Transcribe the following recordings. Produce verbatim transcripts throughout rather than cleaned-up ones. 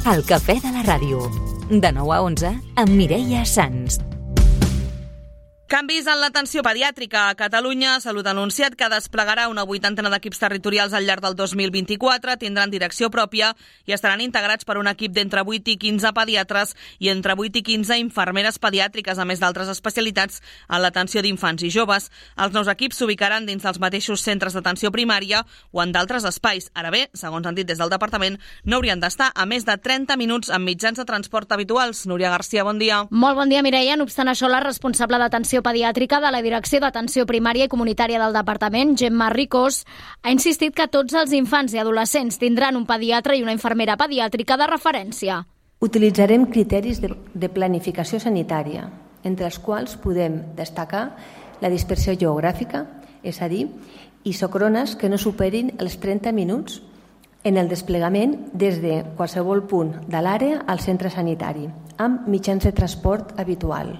El cafè de la ràdio. De nou a onze, amb Mireia Sans. Canvis en l'atenció pediàtrica. A Catalunya, Salut ha anunciat que desplegarà una vuitantena d'equips territorials al llarg del dos mil vint-i-quatre, tindran direcció pròpia i estaran integrats per un equip d'entre vuit i quinze pediatres i entre vuit i quinze infermeres pediàtriques, a més d'altres especialitats en l'atenció d'infants i joves. Els nous equips s'ubicaran dins dels mateixos centres d'atenció primària o en d'altres espais. Ara bé, segons han dit des del departament, no haurien d'estar a més de trenta minuts amb mitjans de transport habituals. Núria Garcia, bon dia. Molt bon dia, Mireia. No obstant això, la responsable d'atenció pediàtrica de la Direcció d'Atenció Primària i Comunitària del Departament, Gemma Ricós, ha insistit que tots els infants i adolescents tindran un pediatre i una infermera pediàtrica de referència. Utilitzarem criteris de, de planificació sanitària, entre els quals podem destacar la dispersió geogràfica, és a dir, isòcrones que no superin els trenta minuts en el desplegament des de qualsevol punt de l'àrea al centre sanitari, amb mitjans de transport habitual.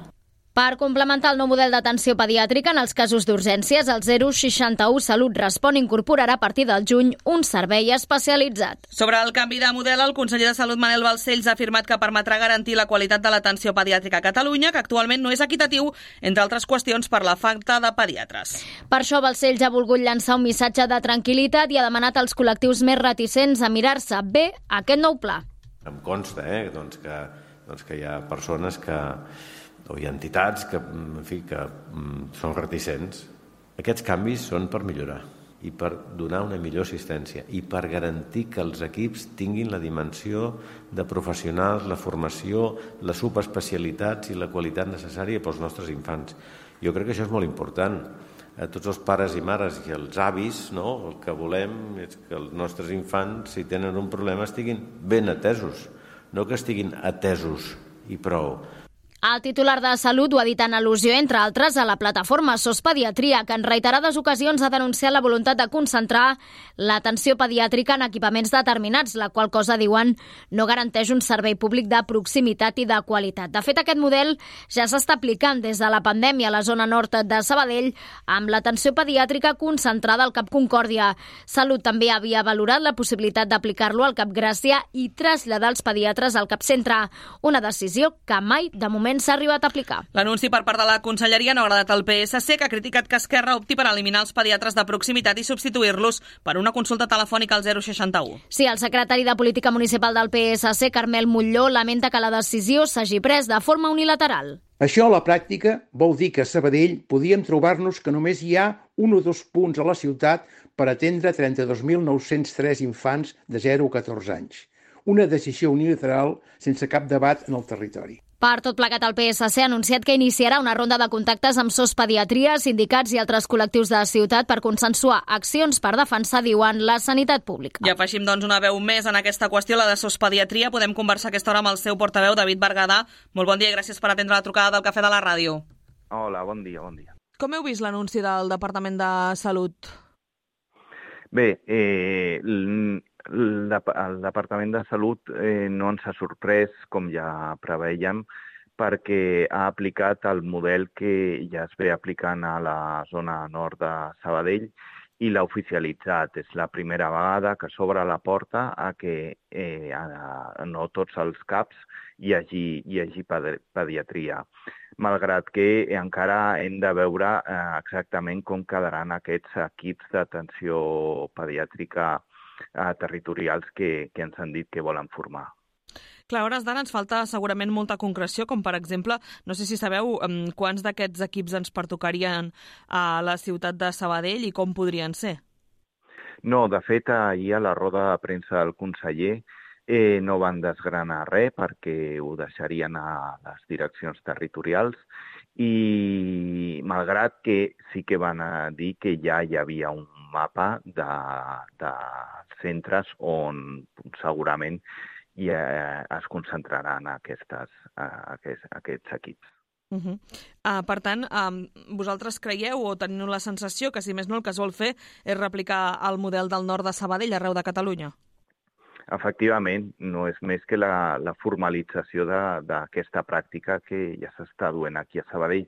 Per complementar el nou model d'atenció pediàtrica en els casos d'urgències, el zero seixanta u Salut Respon incorporarà a partir del juny un servei especialitzat. Sobre el canvi de model, el conseller de Salut, Manel Balcells, ha afirmat que permetrà garantir la qualitat de l'atenció pediàtrica a Catalunya, que actualment no és equitatiu, entre altres qüestions per la falta de pediatres. Per això, Balcells ha volgut llançar un missatge de tranquil·litat i ha demanat als col·lectius més reticents a mirar-se bé aquest nou pla. Em consta eh, doncs que, doncs que hi ha persones que o hi ha entitats que, en fi, que mm, són reticents. Aquests canvis són per millorar i per donar una millor assistència i per garantir que els equips tinguin la dimensió de professionals, la formació, les subespecialitats i la qualitat necessària pels nostres infants. Jo crec que això és molt important. A tots els pares i mares i els avis, no? El que volem és que els nostres infants, si tenen un problema, estiguin ben atesos, no que estiguin atesos i prou. El titular de Salut ho ha dit en al·lusió, entre altres, a la plataforma S O S Pediatria, que en reiterades ocasions ha denunciat la voluntat de concentrar l'atenció pediàtrica en equipaments determinats, la qual cosa, diuen, no garanteix un servei públic de proximitat i de qualitat. De fet, aquest model ja s'està aplicant des de la pandèmia a la zona nord de Sabadell, amb l'atenció pediàtrica concentrada al Cap Concòrdia. Salut també havia valorat la possibilitat d'aplicar-lo al Cap Gràcia i traslladar els pediatres al Cap Centre, una decisió que mai, de moment, s'ha arribat a aplicar. L'anunci per part de la Conselleria no ha agradat al P S C, que ha criticat que Esquerra opti per eliminar els pediatres de proximitat i substituir-los per una consulta telefònica al zero seixanta u. Sí, el secretari de Política Municipal del P S C, Carmel Molló, lamenta que la decisió s'hagi pres de forma unilateral. Això a la pràctica vol dir que a Sabadell podíem trobar-nos que només hi ha un o dos punts a la ciutat per atendre trenta-dos mil nou-cents tres infants de zero a catorze anys. Una decisió unilateral sense cap debat en el territori. Per tot plegat, el P S C ha anunciat que iniciarà una ronda de contactes amb S O S Pediatria, sindicats i altres col·lectius de la ciutat per consensuar accions per defensar, diuen, la sanitat pública. I afegim, doncs, una veu més en aquesta qüestió, la de S O S Pediatria. Podem conversar a aquesta hora amb el seu portaveu, David Bergadà. Molt bon dia i gràcies per atendre la trucada del Cafè de la Ràdio. Hola, bon dia, bon dia. Com heu vist l'anunci del Departament de Salut? Bé, eh, el Departament de Salut eh, no ens ha sorprès, com ja preveiem, perquè ha aplicat el model que ja es ve aplicant a la zona nord de Sabadell i l'ha oficialitzat. És la primera vegada que s'obre la porta a que eh, a, no tots els CAPs hi hagi, hi hagi pediatria, malgrat que encara hem de veure eh, exactament com quedaran aquests equips d'atenció pediàtrica eh, territorials que, que ens han dit que volen formar. Clar, a hores d'ara ens falta segurament molta concreció, com per exemple, no sé si sabeu um, quants d'aquests equips ens pertocarien a la ciutat de Sabadell i com podrien ser. No, de fet, ahir a la roda de premsa del conseller eh, no van desgranar res perquè ho deixarien a les direccions territorials i malgrat que sí que van a dir que ja hi havia un mapa de, de centres on segurament i eh, es concentraran aquestes, eh, aquests, aquests equips. Uh -huh. uh, per tant, um, vosaltres creieu o teniu la sensació que, si més no, el que es vol fer és replicar el model del nord de Sabadell arreu de Catalunya? Efectivament, no és més que la, la formalització d'aquesta pràctica que ja s'està duent aquí a Sabadell.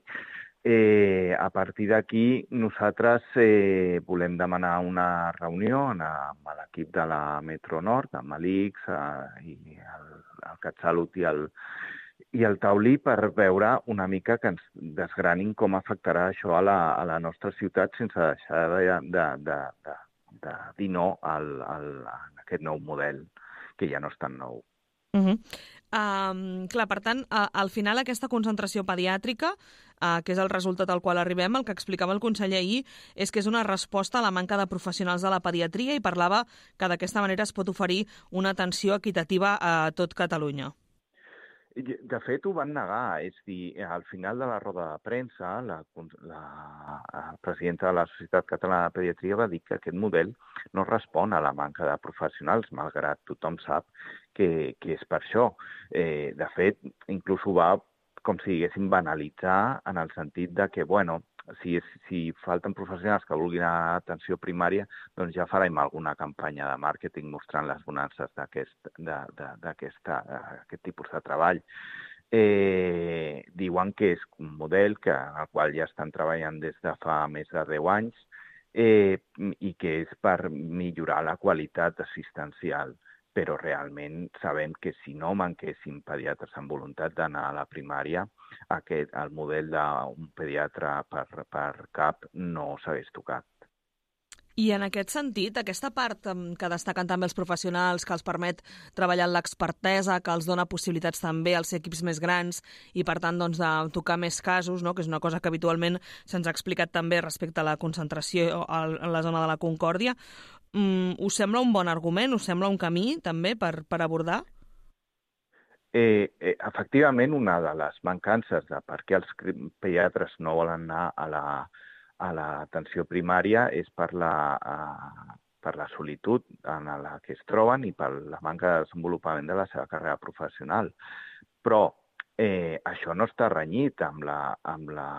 Eh, a partir d'aquí, nosaltres eh, volem demanar una reunió amb l'equip de la Metro Nord, amb l'I X eh, i el, el CatSalut i el, i el Taulí, per veure una mica que ens desgranin com afectarà això a la, a la nostra ciutat sense deixar de, de, de, de, de dir no al, al, a aquest nou model, que ja no és tan nou. Uh -huh. Um, clar, per tant, uh, al final aquesta concentració pediàtrica, uh, que és el resultat al qual arribem, el que explicava el conseller ahir, és que és una resposta a la manca de professionals de la pediatria i parlava que d'aquesta manera es pot oferir una atenció equitativa a tot Catalunya. De fet, ho van negar. És dir, al final de la roda de premsa, la, la, la presidenta de la Societat Catalana de Pediatria va dir que aquest model no respon a la manca de professionals, malgrat tothom sap que, que és per això. Eh, de fet, inclús ho va, com si diguéssim, banalitzar en el sentit de que, bueno, si, si falten professionals que vulguin atenció primària, doncs ja farem alguna campanya de màrqueting mostrant les bonances d'aquest tipus de treball. Eh, diuen que és un model que, al qual ja estan treballant des de fa més de deu anys eh, i que és per millorar la qualitat assistencial. Però realment sabem que si no manquessin pediatres amb voluntat d'anar a la primària, aquest, el model d'un pediatre per, per cap no s'hagués tocat. I en aquest sentit, aquesta part que destaquen també els professionals, que els permet treballar en l'expertesa, que els dona possibilitats també als equips més grans i, per tant, doncs, de tocar més casos, no? Que és una cosa que habitualment se'ns ha explicat també respecte a la concentració en la zona de la Concòrdia, mm, us sembla un bon argument? Us sembla un camí també per, per abordar? Eh, eh, efectivament, una de les mancances de per què els pediatres no volen anar a la a l'atenció primària és per la, uh, per la solitud en la que es troben i per la manca de desenvolupament de la seva carrera professional. Però eh, això no està renyit amb la, amb la,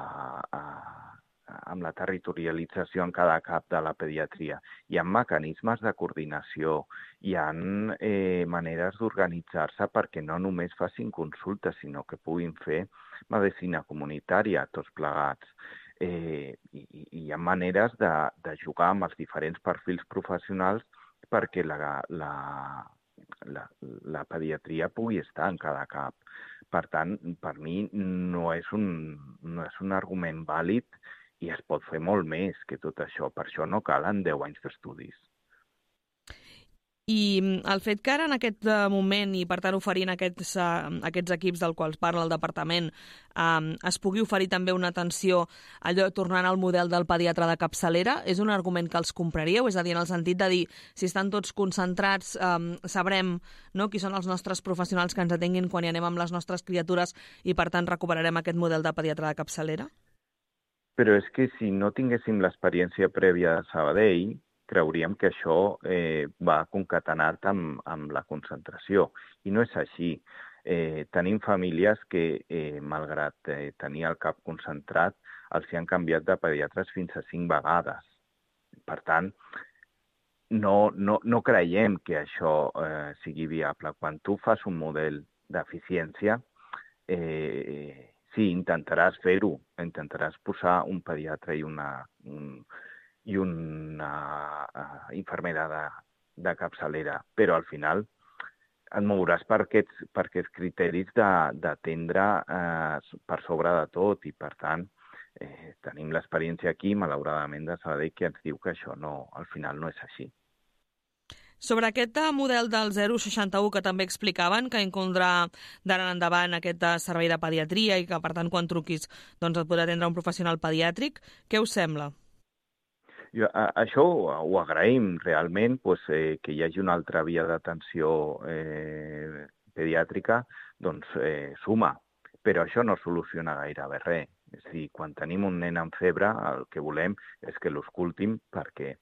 uh, amb la territorialització en cada cap de la pediatria. Hi ha mecanismes de coordinació, hi ha eh, maneres d'organitzar-se perquè no només facin consultes, sinó que puguin fer medicina comunitària, tots plegats. Eh, i, i hi ha maneres de, de jugar amb els diferents perfils professionals perquè la, la, la, la pediatria pugui estar en cada cap. Per tant, per mi no és un, no és un argument vàlid i es pot fer molt més que tot això. Per això no calen deu anys d'estudis. I el fet que ara en aquest moment, i per tant oferint aquests, uh, aquests equips del quals parla el departament, um, es pugui oferir també una atenció allò tornant al model del pediatre de capçalera, és un argument que els compraríeu? És a dir, en el sentit de dir, si estan tots concentrats, um, sabrem, no, qui són els nostres professionals que ens atenguin quan hi anem amb les nostres criatures i per tant recuperarem aquest model de pediatre de capçalera? Però és que si no tinguéssim l'experiència prèvia de Sabadell, creuríem que això eh, va concatenat amb, amb la concentració. I no és així. Eh, tenim famílies que, eh, malgrat eh, tenir el cap concentrat, els hi han canviat de pediatres fins a cinc vegades. Per tant, no, no, no creiem que això eh, sigui viable. Quan tu fas un model d'eficiència, eh, sí, intentaràs fer-ho. Intentaràs posar un pediatre i una... Un, i una uh, infermera de, de capçalera, però al final et mouràs per aquests, per aquests criteris d'atendre uh, per sobre de tot i, per tant, eh, tenim l'experiència aquí, malauradament, de Sabadell, que ens diu que això no, al final no és així. Sobre aquest model del zero seixanta u que també explicaven, que inclondrà d'ara en endavant aquest servei de pediatria i que, per tant, quan truquis doncs, et podrà atendre un professional pediàtric, què us sembla? Jo, a, això ho, ho agraïm realment, pues, eh, que hi hagi una altra via d'atenció eh, pediàtrica, doncs eh, suma, però això no soluciona gairebé res. És a dir, quan tenim un nen amb febre, el que volem és que l'escoltin perquè,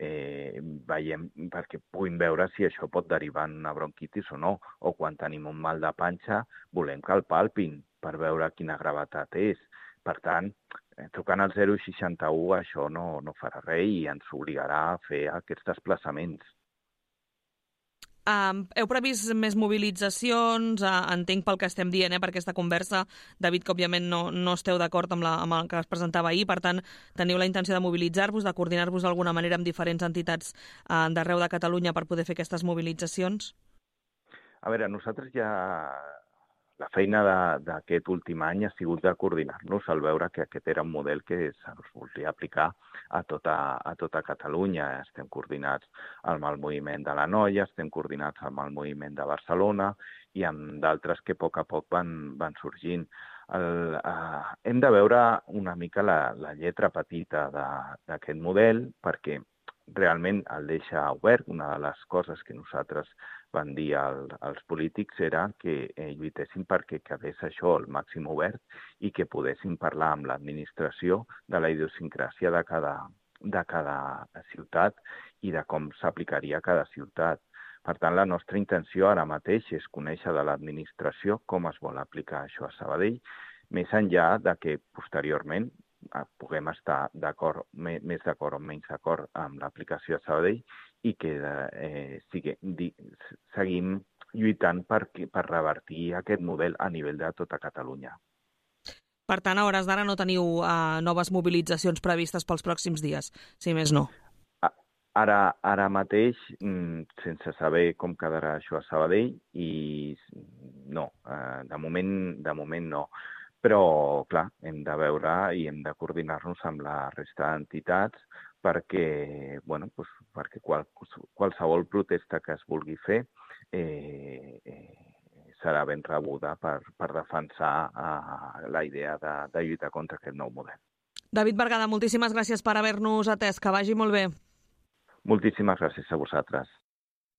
eh, veiem, perquè puguin veure si això pot derivar en una bronquitis o no, o quan tenim un mal de panxa, volem que el palpin per veure quina gravetat és. Per tant, trucant al zero seixanta u això no, no farà res i ens obligarà a fer aquests desplaçaments. Uh, heu previst més mobilitzacions? Uh, entenc pel que estem dient, eh, per aquesta conversa, David, que òbviament no, no esteu d'acord amb, la, amb el que es presentava ahir, per tant, teniu la intenció de mobilitzar-vos, de coordinar-vos d'alguna manera amb diferents entitats uh, d'arreu de Catalunya per poder fer aquestes mobilitzacions? A veure, nosaltres ja... La feina d'aquest últim any ha sigut de coordinar-nos al veure que aquest era un model que se'ns volia aplicar a tota, a tota Catalunya. Estem coordinats amb el moviment de la Noia, estem coordinats amb el moviment de Barcelona i amb d'altres que a poc a poc van, van sorgint. El, uh, hem de veure una mica la, la lletra petita d'aquest model perquè realment el deixa obert. Una de les coses que nosaltres van dir al, als polítics era que eh, lluitessin perquè quedés això al màxim obert i que poguessin parlar amb l'administració de la idiosincràsia de cada, de cada ciutat i de com s'aplicaria a cada ciutat. Per tant, la nostra intenció ara mateix és conèixer de l'administració com es vol aplicar això a Sabadell, més enllà de que posteriorment puguem estar d'acord, més d'acord o menys d'acord amb l'aplicació a Sabadell i que eh, sigue, di, seguim lluitant per, per revertir aquest model a nivell de tota Catalunya. Per tant, a hores d'ara no teniu uh, noves mobilitzacions previstes pels pròxims dies, si més no? Ara, ara mateix, sense saber com quedarà això a Sabadell, i no, de moment, de moment no. Però, clar, hem de veure i hem de coordinar-nos amb la resta d'entitats perquè, bueno, doncs, perquè qual, qualsevol protesta que es vulgui fer eh, eh, serà ben rebuda per, per defensar eh, la idea de, de lluitar contra aquest nou model. David Bergada, moltíssimes gràcies per haver-nos atès. Que vagi molt bé. Moltíssimes gràcies a vosaltres.